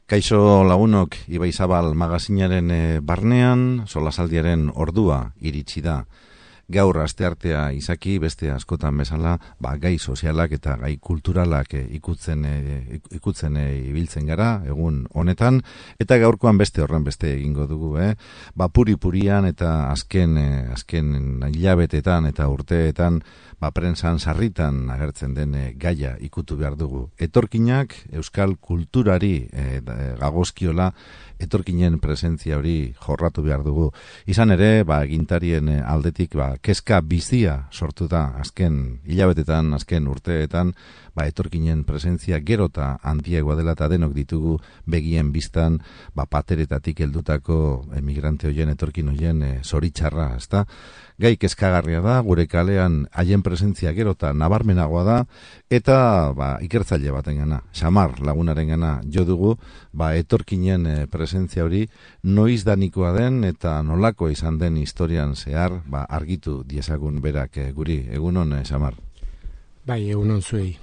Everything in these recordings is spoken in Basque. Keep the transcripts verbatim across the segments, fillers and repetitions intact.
Kaixo lagunok, Ibai Zabal magazinaren e, barnean, solasaldiaren ordua iritsi da. Gaur asteartea izaki beste askotan bezala, ba, gai sozialak eta gai kulturalak e, ikutzen, e, ikutzen e, ibiltzen gara, egun honetan, eta gaurkoan beste horren beste egingo dugu, eh? Ba, puri-purian eta azken, e, azken hilabetetan eta urteetan, ba, prensan sarritan agertzen den e, gaia ikutu behar dugu. Etorkinak euskal kulturari e, gagozkiola, etorkinen presentzia hori jorratu behar dugu. Izan ere, ba, egintarien aldetik, ba, kezka bizia sortu da azken hilabetetan, azken urteetan, ba, etorkinen presentzia gerota handiagoa dela eta denok ditugu begien biztan, ba, pateretatik heldutako emigrante hoien, etorkin hoien e, zoritxarra, ezta? Gai kezkagarria da, gure kalean haien presentzia gerota nabarmenagoa da, eta ba, ikertzaile batengana, Xamar lagunarengana jo dugu, ba, etorkinen e, presentzia hori noiz danikoa den eta nolako izan den historian zehar, ba, argitu diezagun berak e, guri. Egunon, e, Xamar? Bai, egunon zuei.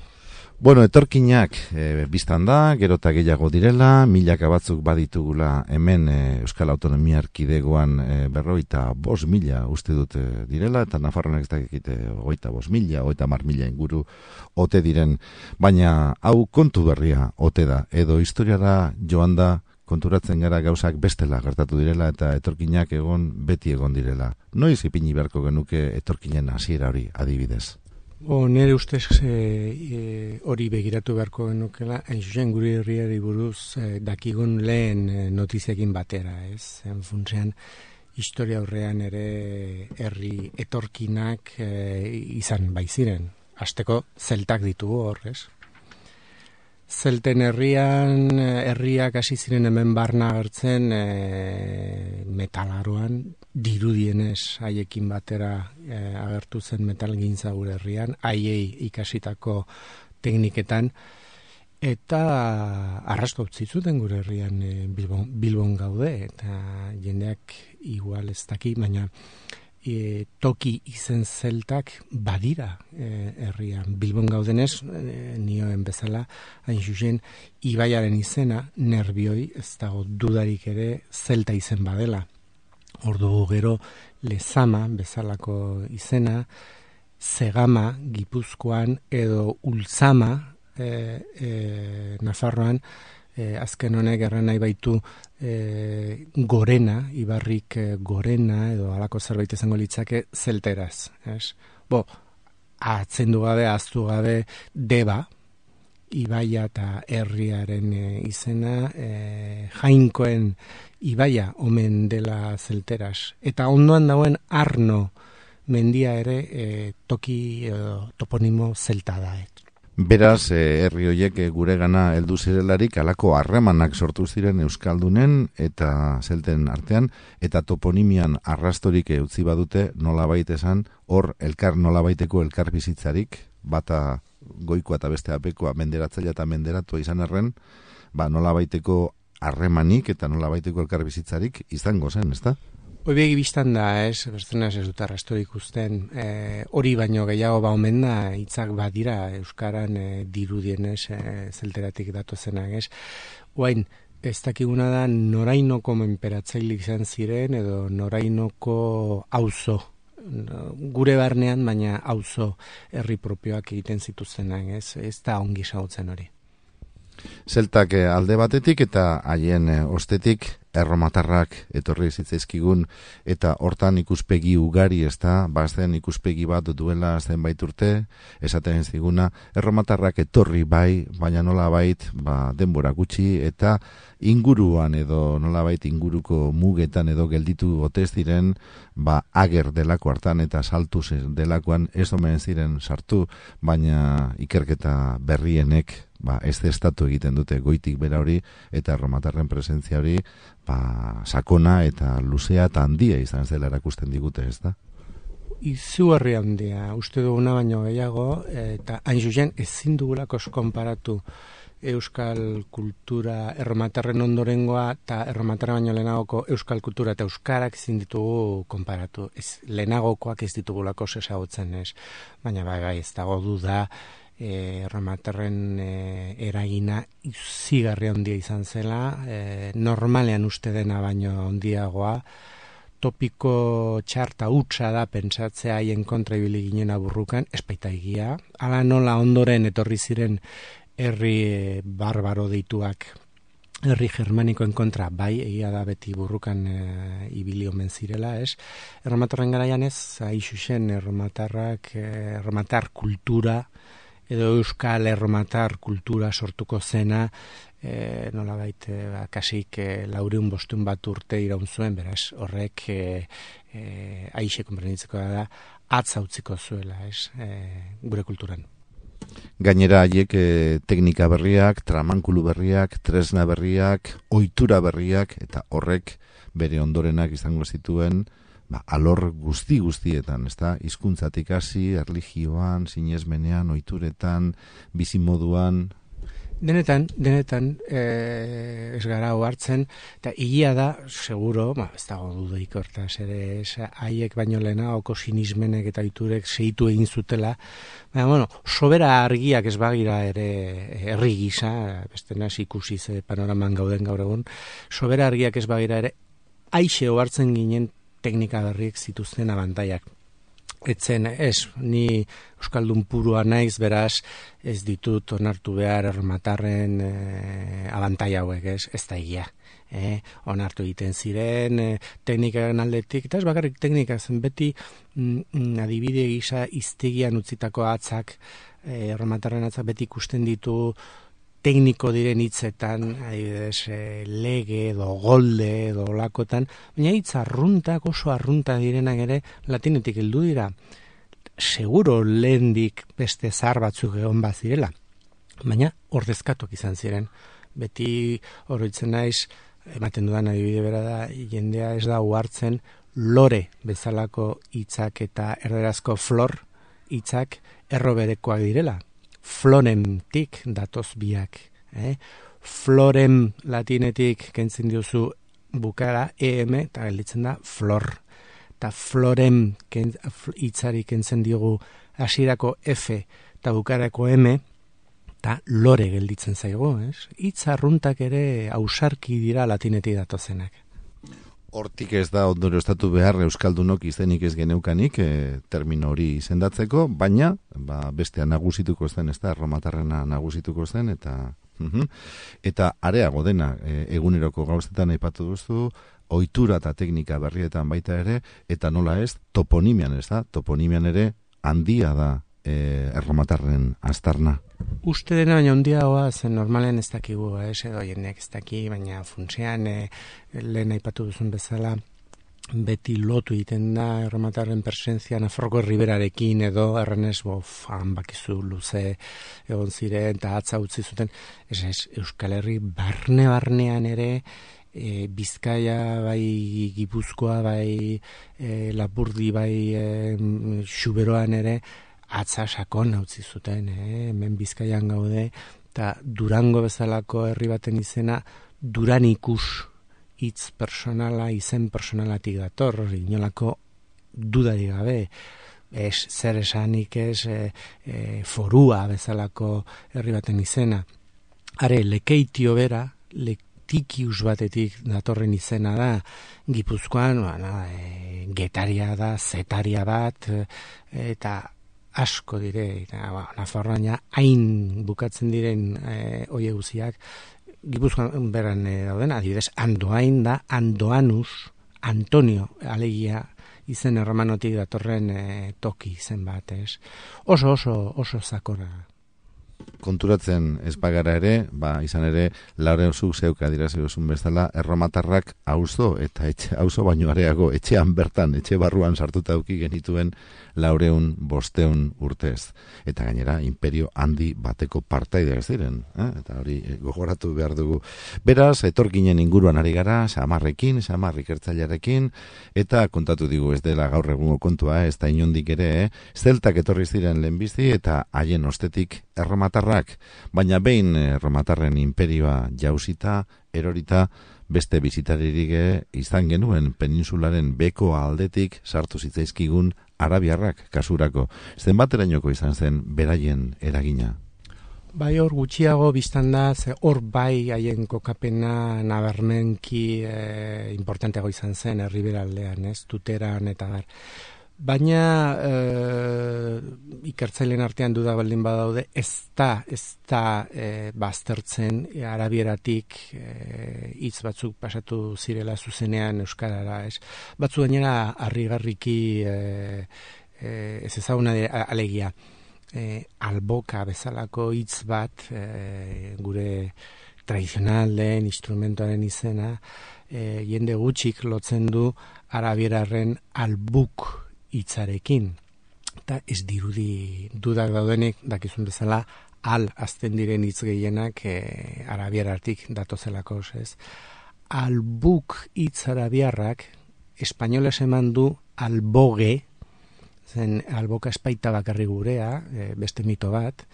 Bueno, etorkinak e, biztan da, gerota gehiago direla, milaka batzuk baditugula hemen e, Euskal Autonomia Erkidegoan e, berroita bost mila uste dute direla, eta Nafarroanek ez dakite oita bost mila, oita mar mila inguru ote diren, baina hau kontu berria ote da, edo historiara joan da konturatzen gara gauzak bestela gertatu direla eta etorkinak egon beti egon direla. Noiz ipini beharko genuke etorkinen hasiera hori adibidez? O, nire ustez e, e, hori begiratu beharko genukela, hain zuzen gure herriari buruz e, dakigun lehen e, notiziakin batera, ez? En funtzean, historia aurrean ere herri etorkinak e, izan baiziren. Hasteko zeltak ditugu hor, ez? Zelten herrian, herriak hasi ziren hemen barna agertzen e, metalaroan, dirudienez haiekin batera e, agertu zen metalgintza gure herrian, haiei ikasitako tekniketan, eta arrasto utzi zuten gure herrian e, Bilbon, Bilbon gaude, eta jendeak igual ez daki, baina E, toki izen zeltak badira e, herrian. Bilbon gaudenez, e, nioen bezala, hain zuzen, Ibaiaren izena, nerbioi, ez dago dudarik ere, zelta izen badela. Ordu gero, Lezama, bezalako izena, Zegama, Gipuzkoan, edo Ultzama, e, e, Nafarroan, e, azken honek erran nahi baitu, E, gorena, ibarrik e, gorena edo halako zerbait izango litzake zelteraz, ez? Bo, atzendu gabe, ahaztu gabe deba, ibaia eta herriaren e, izena, e, jainkoen ibaia omen dela zelteraz. Eta ondoan dauen Arno mendia ere e, toki e, toponimo zelta da. Beraz, eh, herri horiek eh, gure gana heldu zirelarik alako harremanak sortu ziren euskaldunen eta zelten artean, eta toponimian arrastorik utzi badute nolabait esan, hor elkar nolabaiteko elkar bizitzarik, bata goikoa eta beste apekoa menderatzailea eta menderatua izan arren, ba nolabaiteko harremanik eta nolabaiteko elkar bizitzarik izango zen, ezta? Hoi begi biztan da, ez, berzenaz ez dut arrastorik ikusten, e, hori baino gehiago ba omen da, hitzak badira Euskaran e, dirudienez e, zelteratik datozenak, ez. Oain, ez dakiguna da norainoko menperatzailik izan ziren, edo norainoko auzo, gure barnean, baina auzo herri propioak egiten zituztenak, ez, ez da ongi ezagutzen hori. Zeltak alde batetik eta haien ostetik erromatarrak etorri zitzaizkigun eta hortan ikuspegi ugari, ez da, bazen ikuspegi bat duela zenbait urte, esaten ziguna, erromatarrak etorri bai, baina nolabait ba, denbora gutxi eta inguruan edo nolabait inguruko mugetan edo gelditu otez diren, ba, ager delako hartan eta saltu delakoan ez omen ziren sartu, baina ikerketa berrienek ba, ez estatu egiten dute goitik bera hori eta erromatarren presentzia hori ba, sakona eta luzea eta handia izan zela erakusten digute, ez da? Izugarri handia, uste duguna baino gehiago, eta hain zuzen ezin dugulako konparatu euskal kultura erromatarren ondorengoa eta erromatarra baino lehenagoko euskal kultura eta euskarak ezin ditugu konparatu. Ez, lehenagokoak ez ditugulako ezagutzen, ez. Baina bai, bai, ez dago duda, e, erromatarren e, eragina zigarri handia izan zela, e, normalean uste dena baino handiagoa, topiko txarta hutsa da pentsatzea haien kontra ibili ginen aburrukan, espaita egia, ala nola ondoren etorri ziren herri barbaro deituak, herri germanikoen kontra, bai, egia da beti burrukan e, ibili omen zirela, ez? Erromatarren garaian ez, haixuxen erromatarrak, e, erromatar kultura, edo euskal erromatar kultura sortuko zena, e, nola baita, ba, kasik e, laureun bostun bat urte iraun zuen, beraz, horrek e, e, aixe konprenitzeko da, atza utziko zuela, ez, e, gure kulturan. Gainera haiek e, teknika berriak, tramankulu berriak, tresna berriak, ohitura berriak, eta horrek bere ondorenak izango zituen, ba, alor guzti guztietan, ezta? Hizkuntzatik hasi, erlijioan, sinesmenean, ohituretan, bizimoduan. Denetan, denetan, e, ez gara hartzen, eta egia da, seguro, ba, ez dago dudaik hortaz, ere, haiek baino lehena, oko sinismenek eta ohiturek segitu egin zutela, baina, bueno, sobera argiak ez bagira ere herri gisa, beste naz ikusi ze panoraman gauden gaur egun, sobera argiak ez bagira ere, aixe ohartzen ginen teknika berriek zituzten abantaiak. Etzen, ez, ni euskaldun purua naiz, beraz, ez ditut onartu behar erromatarren e, abantai hauek, ez, ez da egia. E, onartu egiten ziren, e, teknikaren aldetik, eta ez bakarrik teknika zen beti mm, adibide gisa iztegian utzitako atzak, e, erromatarren atzak beti ikusten ditu tekniko diren hitzetan, adibidez, e, lege edo golde edo olakotan, baina hitz arruntak, oso arrunta direnak ere latinetik heldu dira. Seguro lehendik beste zahar batzuk egon bazirela, baina ordezkatok izan ziren. Beti oroitzen naiz, ematen dudan adibide bera da, jendea ez da uhartzen lore bezalako hitzak eta erderazko flor hitzak erro berekoak direla. Florentik datoz biak. Eh? Florem latinetik kentzen diozu bukara em eta gelditzen da flor. Eta florem hitzari kentzen diogu hasierako f eta bukarako m eta lore gelditzen zaigu. Hitz arruntak ere ausarki dira latinetik datozenak. Hortik ez da ondorio estatu behar euskaldunok izenik ez geneukanik e, termino hori izendatzeko, baina ba, bestea nagusituko zen, ez da, erromatarrena nagusituko zen, eta uh-huh, eta areago dena e, eguneroko gauzetan aipatu duzu, ohitura eta teknika berrietan baita ere, eta nola ez, toponimian, ez da, toponimian ere handia da e, erromatarren aztarna. Uste dena baina handiagoa, zen normalen ez dakigu, ez edo jendeak ez daki, baina funtsean e, lehen aipatu duzun bezala, beti lotu egiten da erromatarren presentzia Nafarroko Riberarekin edo errenez bofan bakizu luze egon ziren eta atza utzi zuten, ez ez, Euskal Herri barne-barnean ere, e, Bizkaia bai Gipuzkoa bai e, Lapurdi bai e, Xuberoan ere, atza sakon utzi zuten, eh? Hemen Bizkaian gaude, eta Durango bezalako herri baten izena Duranikus hitz personala, izen personalatik dator, inolako dudari gabe, ez zer esanik ez e, e, forua bezalako herri baten izena. Are, lekeitio bera, letikius batetik datorren izena da, Gipuzkoan, ba, e, getaria da, zetaria bat, e, eta asko dire, eta ba, Nafarroaina hain bukatzen diren e, oie guziak, Gipuzkoan beran e, dauden, adibidez, Andoain da, Andoanus, Antonio, alegia, izen erromanotik datorren e, toki izen bat, ez? Oso, oso, oso zakora. Konturatzen ez bagara ere, ba, izan ere, Laureuzuk zeuk adiraziosun bezala, erromatarrak auzo eta etxe, auzo baino areago, etxean bertan, etxe barruan sartuta auki genituen laureun bosteun urtez. Eta gainera, imperio handi bateko partaide ez diren. Eh? Eta hori gogoratu behar dugu. Beraz, etorkinen inguruan ari gara, Samarrekin, Samar ikertzailearekin, eta kontatu digu ez dela gaur egungo kontua, ez da inondik ere, eh? Zeltak etorri ziren lehenbizi eta haien ostetik erromatarrak, baina behin erromatarren imperioa jausita, erorita, beste bizitaririk izan genuen peninsularen beko aldetik sartu zitzaizkigun arabiarrak kasurako. Zenbaterainoko izan zen beraien eragina? Bai, hor gutxiago biztan da, ze hor bai haien kokapena nabarmenki e, importanteago izan zen herriberaldean, ez, tuteran eta bar. Baina e, ikertzaileen artean duda baldin badaude, ez da, ez da e, baztertzen e, arabieratik e, hitz batzuk pasatu zirela zuzenean euskarara, ez. Batzu gainera harrigarriki e, e, ez ezaguna alegia. E, alboka bezalako hitz bat e, gure tradizional den instrumentoaren izena e, jende gutxik lotzen du arabierarren albuk hitzarekin. Eta ez dirudi dudak daudenik dakizun bezala al azten diren hitz gehienak e, arabieratik datozelako, ez? Albuk hitz arabiarrak espainoles eman du alboge, zen alboka espaita bakarri gurea, e, beste mito bat,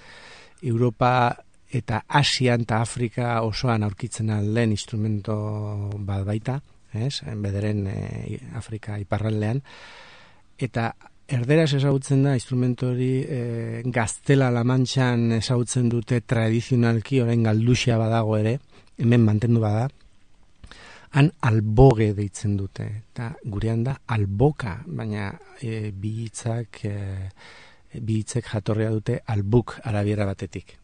Europa eta Asian eta Afrika osoan aurkitzen alden instrumento bat baita, ez? Bederen e, Afrika iparraldean, eta erderaz ezagutzen da instrumento hori e, Gaztela-La Mantxan ezagutzen dute tradizionalki, orain galduxia badago ere, hemen mantendu bada, han alboge deitzen dute, eta gurean da alboka, baina e, bi hitzak e, bi hitzek jatorria dute albuk arabiera batetik.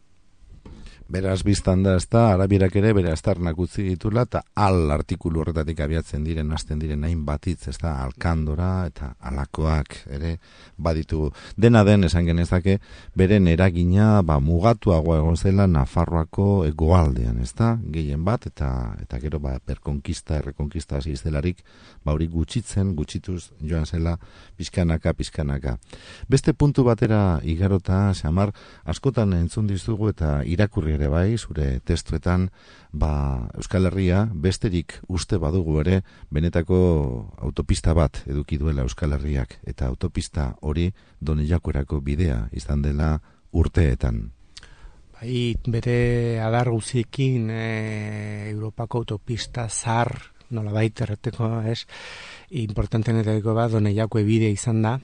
Beraz biztan da, ez da, arabierak ere bere aztarnak utzi ditula, eta al artikulu horretatik abiatzen diren, hasten diren hain batitz, ez da, alkandora eta alakoak ere baditu. Dena den, esan genezake, beren eragina, ba, mugatuagoa egon zela Nafarroako hegoaldean, ez da, gehien bat, eta eta gero, ba, perkonkista, errekonkista hasi zelarik, ba, hori gutxitzen, gutxituz joan zela, pizkanaka, pizkanaka. Beste puntu batera igarota, Xamar, askotan entzun dizugu eta irakurri ere bai, zure testuetan, ba, Euskal Herria besterik uste badugu ere, benetako autopista bat eduki duela Euskal Herriak, eta autopista hori Donejakorako bidea izan dela urteetan. Bai, bere adar guziekin e, Europako autopista zar, nolabait erreteko, ez, importantenetako bat Donejako bidea izan da,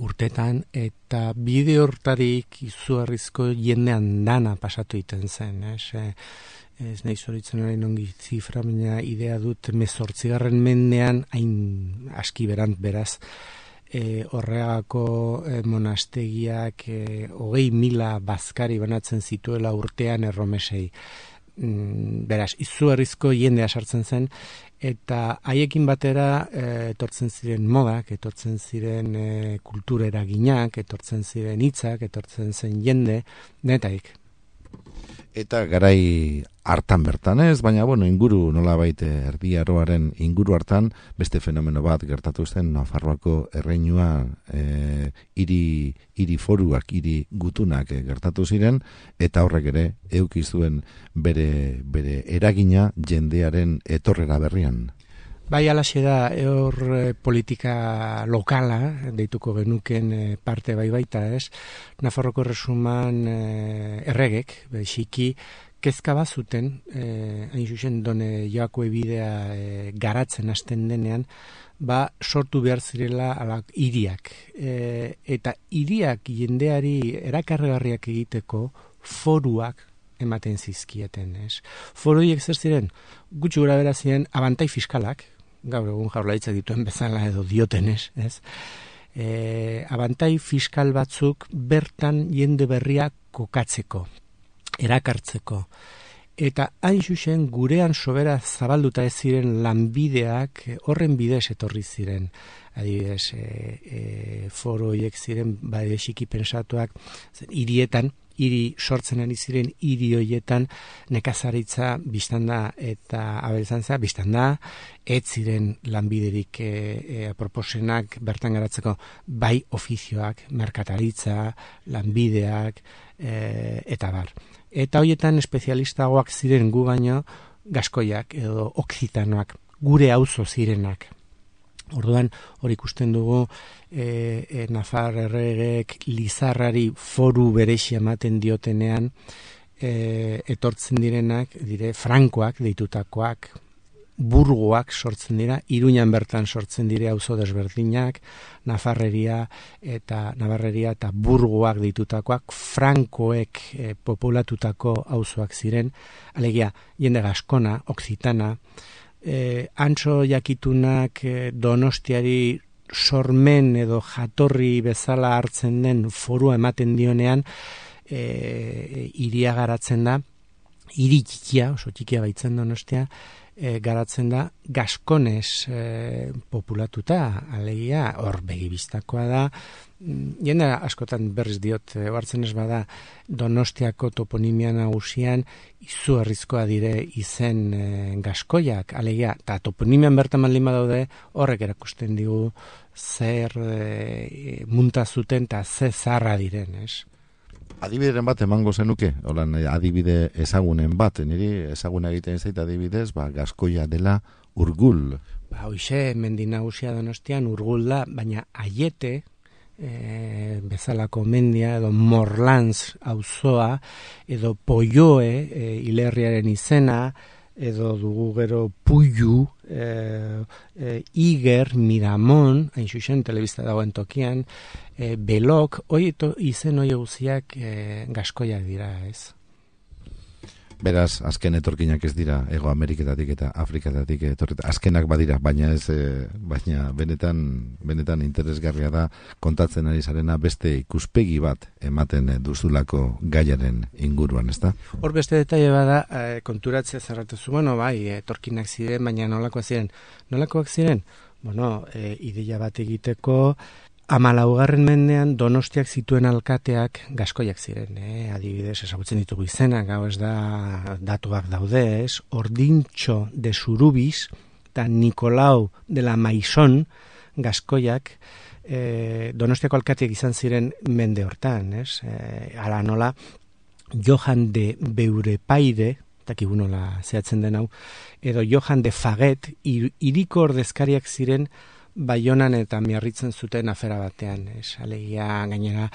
urtetan, eta bide hortarik izugarrizko jendean dana pasatu iten zen, ez, e, ez nahi zoritzen orain ongi zifra, baina idea dut mezortzigarren mendean, hain aski berant beraz, e, horregako e, monastegiak e, hogei mila bazkari banatzen zituela urtean erromesei. Mm, beraz, izugarrizko jendea sartzen zen, eta haiekin batera e, etortzen ziren modak, etortzen ziren e, kultura eraginak, etortzen ziren hitzak, etortzen zen jende, netaik. Eta garai hartan bertan ez, baina bueno, inguru nolabait Erdi Aroaren inguru hartan beste fenomeno bat gertatu zen Nafarroako erreinua e, hiri hiri foruak, hiri gutunak e, gertatu ziren, eta horrek ere eduki zuen bere bere eragina jendearen etorrera berrian. Bai, alaxe da, hor e, politika lokala, deituko genuken e, parte bai baita, ez? Nafarroko Erresuman e, erregek, xiki, kezka bazuten, e, hain zuzen Done Joako ebidea e, garatzen hasten denean, ba, sortu behar zirela alak hiriak. E, eta hiriak jendeari erakargarriak egiteko foruak ematen zizkieten, ez? Foruiek zer ziren, gutxi gora bera ziren abantai fiskalak, gaur egun Jaurlaritzak dituen bezala edo diotenez, ez? E, abantai fiskal batzuk bertan jende berria kokatzeko, erakartzeko. Eta hain zuzen gurean sobera zabalduta ez ziren lanbideak horren bidez etorri ziren. Adibidez, e, e, foro horiek ziren badexiki pensatuak hirietan, hiri sortzen ari ziren hiri hoietan nekazaritza biztanda eta abeltzantza biztanda, ez ziren lanbiderik e, e, proposenak bertan garatzeko, bai ofizioak, merkataritza, lanbideak e, eta bar. Eta hoietan espezialistagoak ziren gu baino gaskoiak edo okzitanoak, gure auzo zirenak. Orduan, hori ikusten dugu e, e, Nafar erregek Lizarrari foru berexia ematen diotenean e, etortzen direnak, dire Frankoak deitutakoak, burgoak sortzen dira, Iruñan bertan sortzen dire auzo desberdinak, Nafarreria eta Navarreria eta burgoak ditutakoak, frankoek e, populatutako auzoak ziren, alegia, jende gaskona, oksitana, e, antso jakitunak e, Donostiari sormen edo jatorri bezala hartzen den forua ematen dionean, e, iria garatzen da, hiri txikia, oso txikia baitzen Donostia, e, garatzen da gaskonez e, populatuta, alegia, hor begibistakoa da, jende askotan berriz diot, e, hartzen ez bada, Donostiako toponimia nagusian izugarrizkoa dire izen e, gaskoiak, alegia, eta toponimian bertan baldin badaude, horrek erakusten digu zer e, munta zuten eta ze zarra diren, ez? Adibideren bat emango zenuke, holan adibide ezagunen bat, niri ezaguna egiten zait adibidez, ba, gaskoia dela Urgul. Ba, hoxe, mendi nagusia Donostian Urgul da, baina Aiete, e, bezalako mendia, edo Morlans auzoa, edo Poioe, e, hilerriaren izena, edo dugu gero Puiu, e, e, Iger, Miramon, hain xuxen, telebista dagoen tokian, e, Belok, hoi izen hoi guziak e, gaskoiak dira, ez? Beraz, azken etorkinak ez dira Ego Ameriketatik eta Afrikatatik etorreta. Azkenak badira, baina ez, e, baina benetan, benetan interesgarria da kontatzen ari zarena beste ikuspegi bat ematen duzulako gaiaren inguruan, ezta? Hor beste detaile bada, e, konturatzea zerratuzu, bueno, bai, etorkinak ziren, baina nolakoak ziren? Nolakoak ziren? Bueno, e, ideia bat egiteko, hamalaugarren mendean Donostiak zituen alkateak gaskoiak ziren, eh? Adibidez, ezagutzen ditugu izenak, gau ez da datuak daude, ez? Ordintxo de Zurubiz eta Nikolau de la Maison gaskoiak eh, Donostiako alkateak izan ziren mende hortan, ez? Eh, ala nola, Johan de Beurepaire, dakigu nola zehatzen den hau, edo Johan de Faget, hiriko ordezkariak ziren Baionan eta miarritzen zuten afera batean, ez, alegia gainera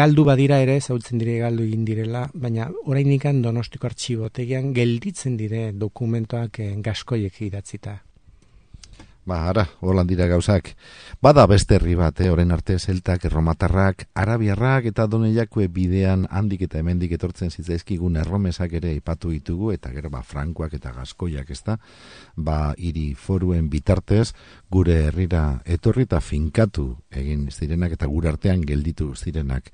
galdu badira ere, zautzen dire galdu egin direla, baina orainikan Donostiko artxibotegian gelditzen dire dokumentoak gaskoiek idatzita. Ba, ara, holan dira gauzak. Bada beste herri bat, eh, orain arte zeltak, erromatarrak, arabiarrak eta doneiakue bidean handik eta hemendik etortzen zitzaizkigun erromesak ere ipatu ditugu, eta gero ba, frankoak eta gaskoiak, ezta? Ba, hiri foruen bitartez, gure herrira etorri eta finkatu egin zirenak eta gure artean gelditu zirenak.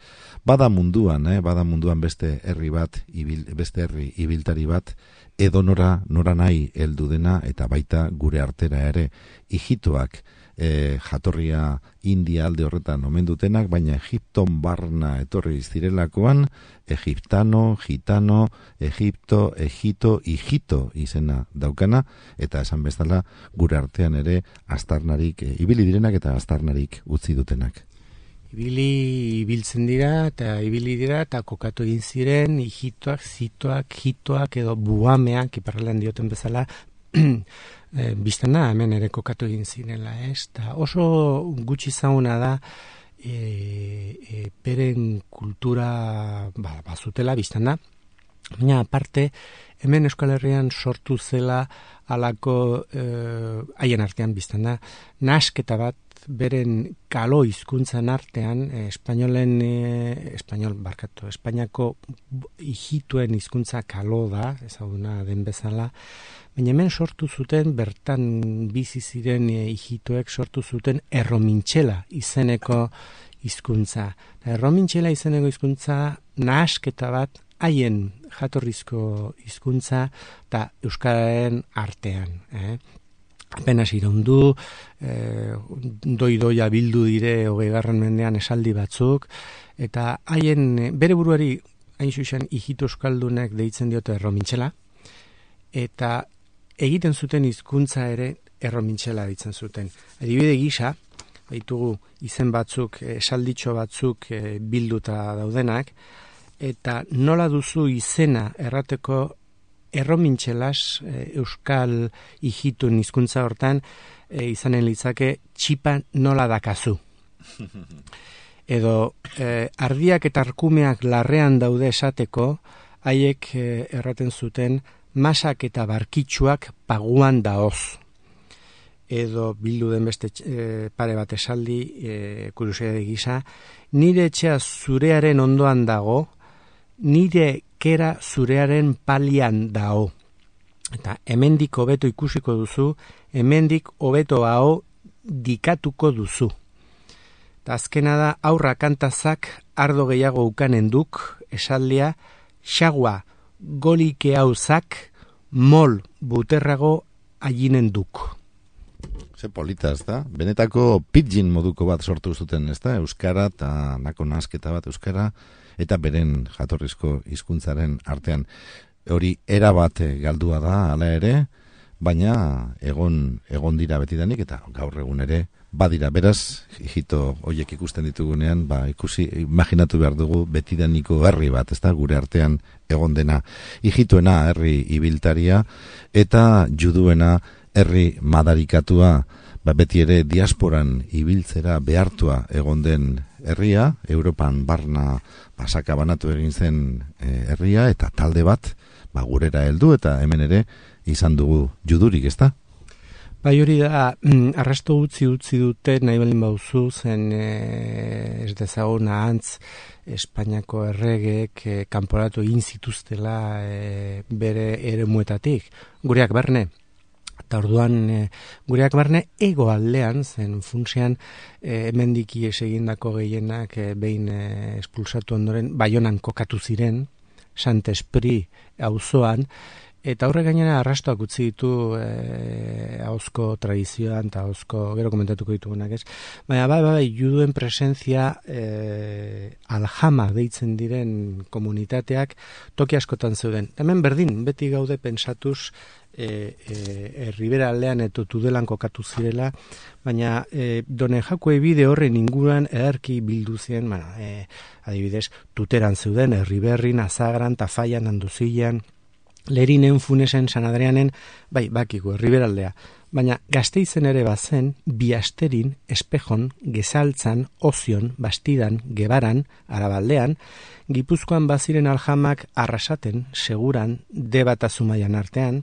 Bada munduan, eh, bada munduan beste herri bat, ibil, beste herri ibiltari bat, edo nora, nora nahi heldu dena eta baita gure artera ere Ijitoak e, jatorria India alde horretan omen dutenak, baina Egipton barna etorri zirelakoan Egiptano, Gitano, Egipto, Egito, Ijito izena daukana, eta esan bezala gure artean ere astarnarik, e, ibili direnak eta astarnarik utzi dutenak. Ibili ibiltzen dira eta ibili dira eta kokatu egin ziren Ijitoak, Zitoak, Jitoak edo buameak iparraldean dioten bezala e, biztana hemen ere kokatu egin zirela, ez? Ta oso gutxi zauna da e, e, peren kultura ba, bazutela biztana, baina aparte hemen Euskal Herrian sortu zela alako haien e, artean biztana nasketa bat beren kalo hizkuntzan artean, eh, espainolen, eh, espainol barkatu, Espainiako ijituen hizkuntza kalo da, ezaguna den bezala, baina hemen sortu zuten, bertan bizi ziren eh, ijituek sortu zuten erromintxela izeneko hizkuntza. Erromintxela izeneko hizkuntza nahasketa bat haien jatorrizko hizkuntza eta euskararen artean, eh? Apenas iraundu, eh, doi-doia bildu dire hogeigarren mendean esaldi batzuk, eta haien bere buruari hain zuzen ijito euskaldunek deitzen diote erromintxela, eta egiten zuten hizkuntza ere erromintxela deitzen zuten. Adibide gisa, baitugu izen batzuk, esalditxo batzuk eh, bilduta daudenak, eta nola duzu izena errateko erromintxelas e, euskal ijitun hizkuntza hortan e, izanen litzake txipa nola dakazu. Edo e, ardiak eta arkumeak larrean daude esateko, haiek e, erraten zuten masak eta barkitsuak paguan daoz. Edo bildu den beste e, pare bat esaldi, e, kuriosidade gisa, nire etxea zurearen ondoan dago, nire kera zurearen palian dao. Eta hemendik hobeto ikusiko duzu, hemendik hobeto hau dikatuko duzu. Eta azkena da, aurra kantazak ardo gehiago ukanen duk, esaldia, xagua golike hauzak mol buterrago aginen duk. Ze polita, ez da? Benetako pidgin moduko bat sortu zuten, ez da? Euskara eta nako nasketa bat euskara, eta beren jatorrizko hizkuntzaren artean. Hori erabat galdua da, hala ere, baina egon egon dira betidanik, eta gaur egun ere badira. Beraz, hijito hoiek ikusten ditugunean, ba, ikusi, imaginatu behar dugu betidaniko herri bat, ez da? Gure artean egon dena. Hijitoena herri ibiltaria, eta juduena herri madarikatua, ba, beti ere diasporan ibiltzera behartua egon den herria, Europan barna basaka banatu egin zen e, herria, eta talde bat ba, gurera heldu, eta hemen ere izan dugu judurik, ezta? Bai, hori da, arrasto utzi utzi dute, nahi balin bauzu, zen e, ez dezagun ahantz Espainiako erregeek e, kanporatu egin zituztela e, bere eremuetatik, gureak barne. Eta orduan e, gureak barne ego aldean, zen funtsean e, hemendik ies egindako gehienak e, behin e, espulsatu ondoren Baionan kokatu ziren, Sant-Esprit auzoan, eta horre gainera arrastoak utzi ditu e, ahozko tradizioan eta ahozko gero komentatuko ditugunak, ez? Baina bai, bai, juduen presentzia e, aljama deitzen diren komunitateak toki askotan zeuden. Hemen berdin, beti gaude pensatuz E, e, Ribera aldean eta Tudelan kokatu zirela, baina e, Done Jakue bide horren inguruan edarki bildu ziren, bueno, e, adibidez, Tuteran zeuden, Erriberrin, Azagran, Tafaian, Anduzilan, Lerinen, Funesen, San Adrianen, bai, bakigu, Ribera aldea. Baina Gasteizen ere bazen, Biasterin, Espejon, Gezaltzan, Ozion, Bastidan, Gebaran, Arabaldean, Gipuzkoan baziren aljamak Arrasaten, Seguran, Deba eta Zumaian artean,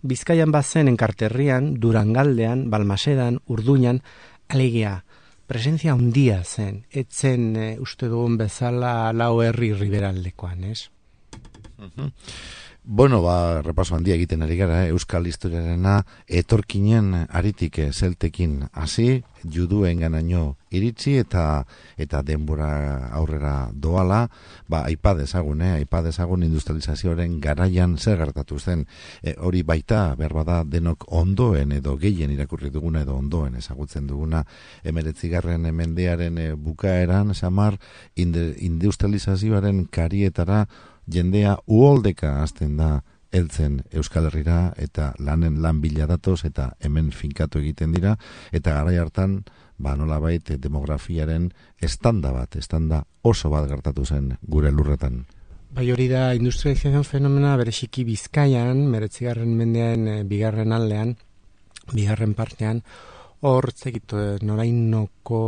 Bizkaian bazen Enkarterrian, Durangaldean, Balmasedan, Urduñan, alegia, presentzia handia zen, etzen e, uste dugun bezala lau herri riberaldekoan, ez? Uh-huh. Bueno, ba, repaso handia egiten ari gara, eh? Euskal historiarena etorkinen aritik zeltekin hasi, juduen ganaino iritsi eta eta denbora aurrera doala, ba, aipa dezagun, eh? aipa dezagun industrializazioaren garaian zer gertatu zen. E, hori baita, berbada denok ondoen edo gehien irakurri duguna edo ondoen ezagutzen duguna emeretzigarren mendearen e, bukaeran, samar, industrializazioaren karietara jendea uholdeka hasten da heltzen Euskal Herrira eta lanen lan bila datoz eta hemen finkatu egiten dira eta garai hartan ba nolabait demografiaren estanda bat, estanda oso bat gertatu zen gure lurretan. Bai, hori da industrializazio fenomena bereziki Bizkaian, hemeretzigarren mendean e, bigarren aldean, bigarren partean, hor zekit norainoko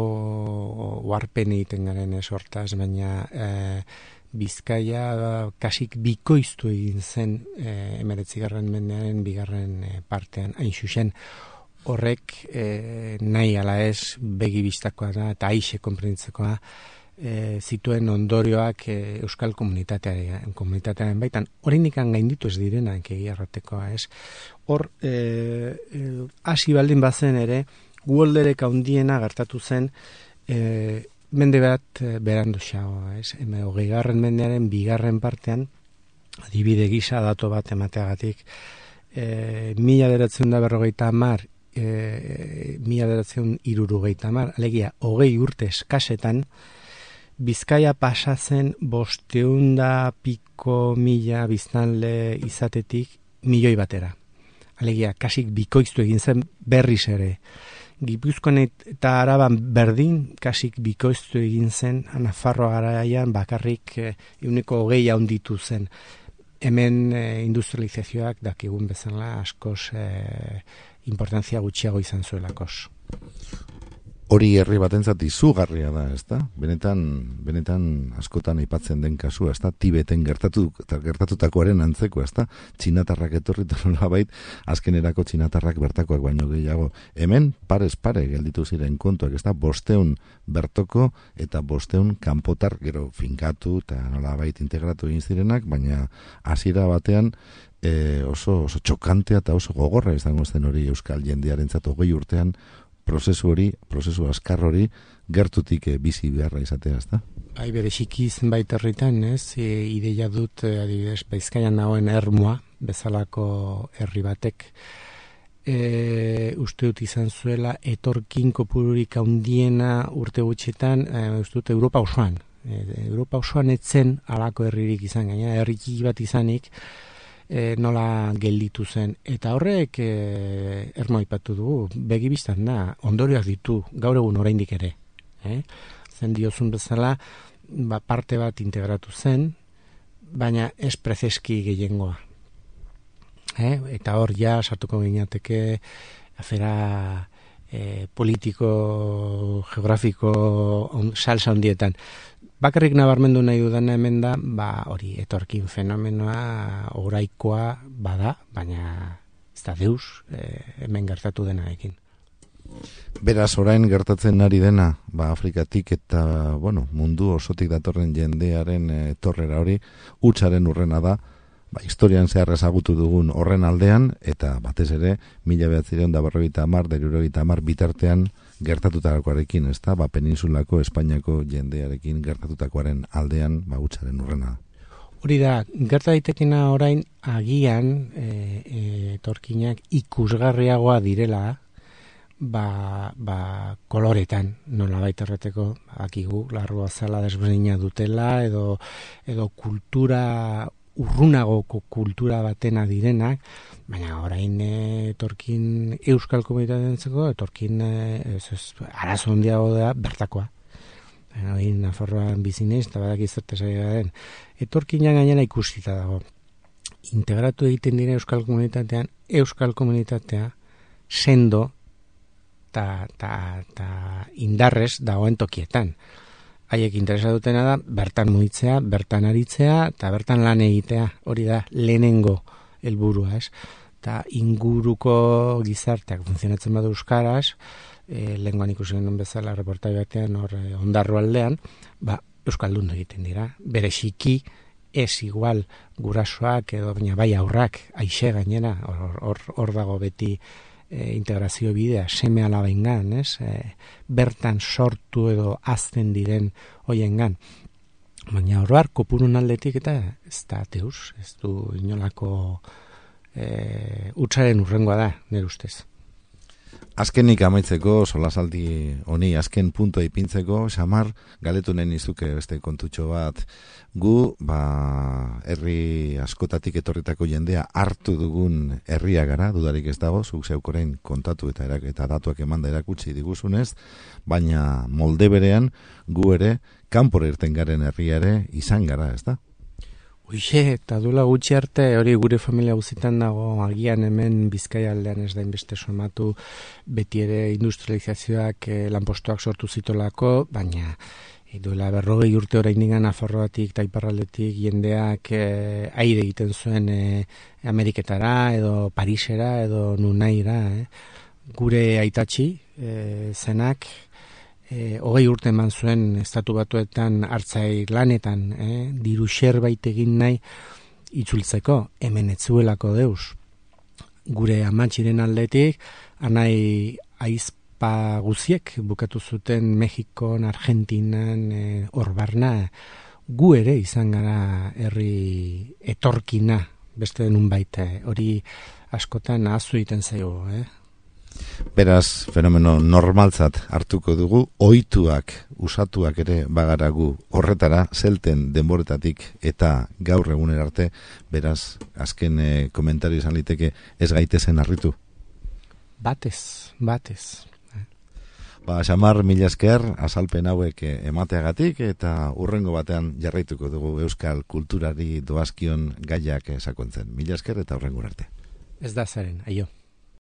warpen egiten garen ez hortaz, baina e, Bizkaia kasik bikoiztu egin zen e, emeretzigarren mendearen bigarren e, partean, hain xuxen horrek e, nahi ala ez begi bistakoa da eta aixe konprenditzekoa e, zituen ondorioak e, euskal komunitatearen, komunitatearen baitan, oraindik gainditu ez direnak egia erratekoa ez. Hor, e, e, hasi baldin bazen ere, guolderek handiena gertatu zen e, mende bat berandu xagoa, ez? Heme hogeigarren mendearen bigarren partean, adibide gisa dato bat emateagatik, e, mila bederatziehun da berrogeita hamar, e, mila bederatziehun hirurogeita hamar, alegia, hogei urte eskasetan, Bizkaia pasa zen bosteun da piko mila biztanle izatetik milioi batera. Alegia, kasik bikoiztu egin zen berriz ere. Gipuzkoan eta Araban berdin, kasik bikoiztu egin zen, Nafarroa garaian bakarrik ehuneko hogei handitu zen. Hemen e, industrializazioak dakigun bezala askoz e, importantzia gutxiago izan zuelakos. hori herri batentzat izugarria da, ezta? Benetan, benetan askotan aipatzen den kasua, ezta? Tibeten gertatu, gertatutakoaren antzeko, ezta? Txinatarrak etorri nolabait, azkenerako txinatarrak bertakoak baino gehiago. Hemen, parez pare gelditu ziren kontuak, ezta? Bosteun bertoko eta bosteun kanpotar gero finkatu eta nolabait integratu egin zirenak, baina hasiera batean e, oso, oso txokantea eta oso gogorra izango zen hori euskal jendearentzat hogei urtean prozesu hori, prozesu askar hori gertutik e, bizi beharra izatea, ezta? Bai, bere xiki zenbait herritan, ez? E, ideia dut, adibidez, Bizkaian nagoen Ermua, bezalako herri batek, e, uste dut izan zuela etorkin kopururik handiena urte gutxetan, e, uste dut Europa osoan. E, Europa osoan etzen alako herririk izan, gaina herriki bat izanik, E, nola gelditu zen. Eta horrek e, Ermo aipatu dugu, begibistan da, ondorioak ditu, gaur egun oraindik ere. Eh? Zen diozun bezala, ba, parte bat integratu zen, baina ez prezeski gehiengoa. Eh? Eta hor ja, sartuko gineateke, afera e, politiko, geografiko, on, salsa ondietan. Bakarrik nabarmendu nahi dudana hemen da, ba, hori, etorkin fenomenoa oraikoa bada, baina ez da deus e, hemen gertatu denarekin. Beraz, orain gertatzen ari dena, ba, Afrikatik eta, bueno, mundu osotik datorren jendearen e, torrera hori, hutsaren urrena da, ba, historian zehar ezagutu dugun horren aldean, eta batez ere, mila behatzireun da berrogeita hamar, hirurogeita hamar bitartean, gertatutakoarekin, ez da, ba, peninsulako Espainiako jendearekin gertatutakoaren aldean, ba, hutsaren urrena. Hori da, gerta daitekena orain agian e, e, etorkinak ikusgarriagoa direla, ba, ba, koloretan, nola baita erreteko, akigu, largo azala desberdina dutela, edo, edo kultura, urrunagoko kultura batena direnak, baina orain etorkin euskal komunitatentzeko, etorkin ez, ez, arazo handiago da bertakoa. Orain Nafarroan bizinez, eta badak izerte zaila den. Etorkina gainera ikusita dago. Integratu egiten dira euskal komunitatean, euskal komunitatea sendo eta indarrez dagoen tokietan. Haiek interesa dutena da, bertan mugitzea, bertan aritzea, eta bertan lan egitea, hori da, lehenengo helburua, ez? Eta inguruko gizarteak funtzionatzen badu euskaraz, e, lehengoan ikusi genuen bezala, reportai batean, hor, e, Ondarro aldean, ba, euskaldun egiten dira, bereziki, ez igual gurasoak, edo baina bai aurrak, aixe gainera, hor, hor, hor dago beti, E, integrazio bidea, seme alabengan, ez? E, bertan sortu edo azten diren hoiengan. Baina oroar kopurun aldetik eta ez da deus, ez du inolako e, hutsaren urrengoa da, nire ustez. Azkenik amaitzeko, solasaldi honi, azken puntua ipintzeko, Xamar, galetu nahi nizuke beste kontutxo bat, gu, ba, herri askotatik etorritako jendea hartu dugun herria gara, dudarik ez dago, zuk zeukorein kontatu eta, erak, eta datuak emanda erakutsi diguzunez, baina molde berean, gu ere, kanpora irten garen herria ere izan gara, ez da? Uixe, eta duela gutxi arte, hori gure familia guzitan dago, agian hemen Bizkaia aldean ez da inbeste somatu, beti ere industrializazioak eh, lanpostuak sortu zitolako, baina e, duela berrogei urte oraindik Nafarroatik eta iparraldetik jendeak eh, aire egiten zuen eh, Ameriketara, edo Parisera, edo Nunaira, eh. Gure aitatxi eh, zenak, E, hogei urte eman zuen estatu batuetan hartzai lanetan, eh? diru zerbait egin nahi itzultzeko, hemen etzuelako deus. Gure amatxiren aldetik, anai aizpa guziek bukatu zuten Mexikon, Argentinan, hor e, barna, gu ere izan gara herri etorkina, beste denun baita, hori askotan ahaztu egiten zaigu, eh? Beraz, fenomeno normaltzat hartuko dugu, ohituak, usatuak ere bagaragu horretara, zelten denboretatik eta gaur eguner arte, beraz, azken e, komentario izan liteke ez gaitezen harritu. Batez, batez. Ba, Xamar, mila esker, azalpen hauek emateagatik eta urrengo batean jarraituko dugu euskal kulturari doazkion gaiak sakontzen. Mila esker eta urrengo arte. Ez da zaren, aio.